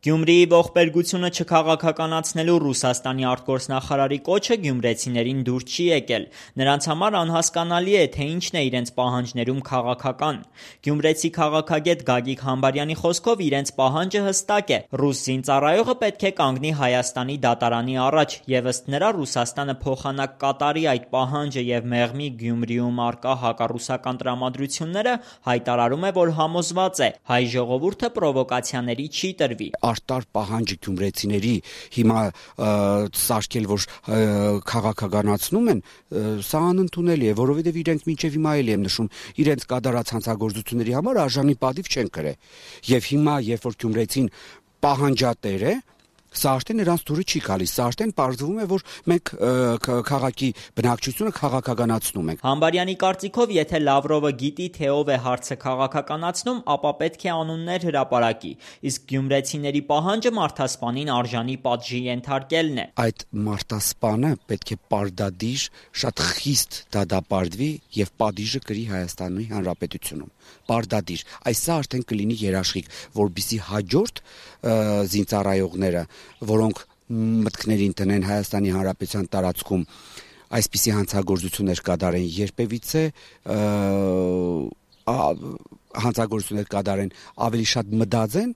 Գյումրիի ողբերգությունը չքաղաքականացնելու Ռուսաստանի արտգործնախարարի կոչը գյումրեցիներին դուր չի եկել: Նրանց համար անհասկանալի է, թե ինչն է իրենց պահանջներում քաղաքական: Գյումրեցի քաղաքագետ Գագիկ Համբարյանի խոսքով իրենց պահանջը հստակ է: Ռուս զինծառայողը պետք է կանգնի Հայաստանի դատարանի առաջ և ըստ նրա Ռուսաստանը փոխանակ կատարի այդ պահանջը և մեղմի Գյումրիում առկա հակառուսական տրամադրությունները, հայտարարում է, որ համոզված է՝ հայ ժողովուրդը պրովոկացիաների չի տրվի: Արտար պահանջը գյումրեցիների հիմա սարքել, որ քաղաքականացնում են, սա անընդունելի է, որովհետև իրենք մինչև հիմա էլ եմ նշում, իրենց կատարած հանցագործությունների համար արժանի պատիվ չեն կրել: Եվ հիմա, երբ որ գյումրեցին պահանջատեր է, սա արդեն նրանց դուրը չի գալիս, սա արդեն պարզվում է, որ մենք քաղաքի բնակչությունը քաղաքականացնում ենք: Համբարյանի կարծիքով, եթե Լավրովը գիտի, թե ով է հարցը քաղաքականացնում, ապա պետք է անուններ հրապարակի, իսկ գյումրեցիների պահանջը մարդասպանին արժանի պատժի ենթարկելն է: Այդ մարդասպանը պետք է պարտադիր, շատ խիստ դատապարտվի և պատիժը կրի Հայաստանի Հանրապետությունում: Պարտադիր: Սա արդեն կլինի երաշխիք, որպեսզի հաջորդ զինծառայողները, որոնք մտքներին տնեն Հայաստանի Հանրապետության տարածքում այսպիսի հանցագործություններ կատարեն, երբևիցե հանցագործություններ կատարեն, ավելի շատ մտածեն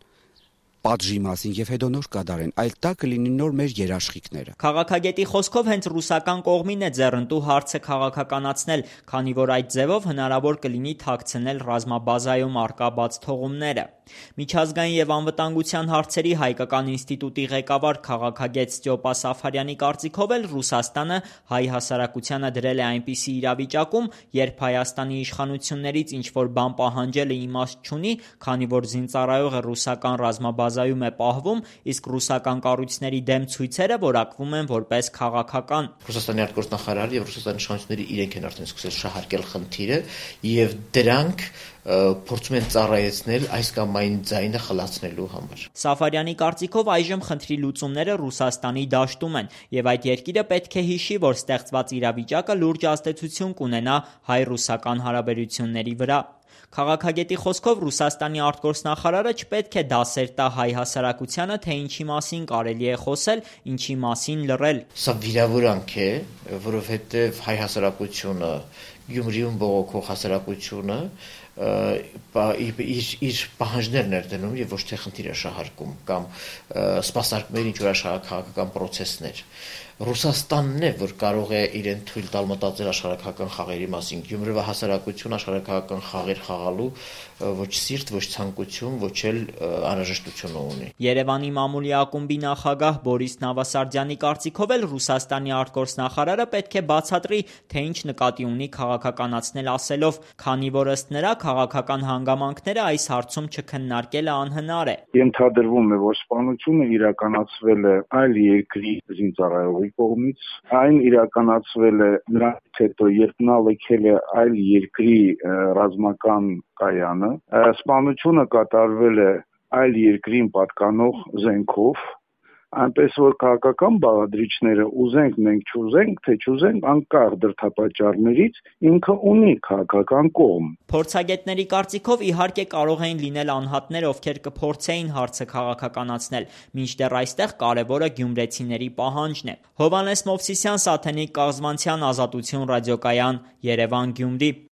պատժի մասին և հետո նոր կատարեն, այլ դա կլինի նոր մեր երաշխիքները: Քաղաքագետի խոսքով հենց ռուսական կողմին է ձեռնտու հարցը քաղաքականացնել, քանի որ այդ ձևով հնարավոր կլինի թաքցնել ռազմաբազայում առկա բացթողումները: Միջազգային և անվտանգության հարցերի հայկական ինստիտուտի ղեկավար քաղաքագետ Ստյոպա Սաֆարյանի կարծիքով էլ Ռուսաստանը հայ հասարակությանը դրել է այնպիսի իրավիճակում, երբ Հայաստանի իշխանություններից ինչ-որ բան պահանջելը իմաստ չունի, քանի որ զինծառայողը ռուսական ռազմաբազայում է պահվում, իսկ ռուսական կառույցների դեմ ցույցերը որակվում են որպես քաղաքական: Ռուսաստանի արտգործնախարարը և Ռուսաստանի իշխանությունները իրենք են արդեն սկսել շահարկել խնդիրը և դրանք փորձում են ծառայեցնել այս կամ այն ձայնը խլացնելու համար: Սաֆարյանի կարծիքով այժմ խնդրի լուծումները Ռուսաստանի դաշտում են և այդ երկիրը պետք է հիշի, որ ստեղծված իրավիճակը լուրջ ազդեցություն կունենա հայ-ռուսական հարաբերությունների վրա: Քաղաքագետի խոսքով Ռուսաստանի արտգործնախարարը չպետք է դասեր տա հայ հասարակությանը, թե ինչի մասին կարելի է խոսել, ինչի մասին լռել: Սա վիրավորանք է, որովհետև հայ հասարակությունը, Գյումրիում բողոքող հասարակությունը իր պահանջներն էր դնում և ոչ թե խնդիր էր շահարկում կամ սպասարկում էր ինչ-որ աշխարհաքաղաքական պրոցեսներ: Ռուսաստանն է, որ կարող է իրեն թույլ տալ մտածել աշխարհաքաղաքական խաղերի մասին: Գյումրվա հասարակությունը աշխարհաքաղաքական խաղեր խաղալու ոչ սիրտ, ոչ ցանկություն, ոչ էլ անհրաժեշտություն ունի: Երևանի մամուլի ակումբի նախագահ Բորիս Նավասարդյանի կարծիքով էլ Ռուսաստանի արտգործնախարարը պետք է բացատրի, թե ինչ նկատի ունի քաղաքականացնել ասելով, քանի որ ըստ նրա քաղաքական հանգամանքները այս հարցում չքննարկելը անհնար է: Ենթադրվում է, որ սպանությունը իրականացվել է այլ երկրի զինծառայողի կողմից, այն իրականացվել է նրանից հետո, երբ նա լքել է այլ երկրի ռազմական կայանը, սպանությունը կատարվել է այլ երկրին պատկանող զենքով, այնպես որ քաղաքական բաղադրիչները ուզենք մենք չուզենք, թե չուզենք, անկախ դրդապատճառներից, ինքը ունի քաղաքական կողմ: Փորձագետների կարծիքով իհարկե կարող էին լինել անհատներ, ովքեր կփորձեին հարցը քաղաքականացնել, մինչդեռ այստեղ կարևորը գյումրեցիների պահանջն է: Հովհաննես Մովսիսյան, Սաթենիկ Կաղզվանցյան, Ազատություն ռադիոկայան, Երևան, Գյումրի: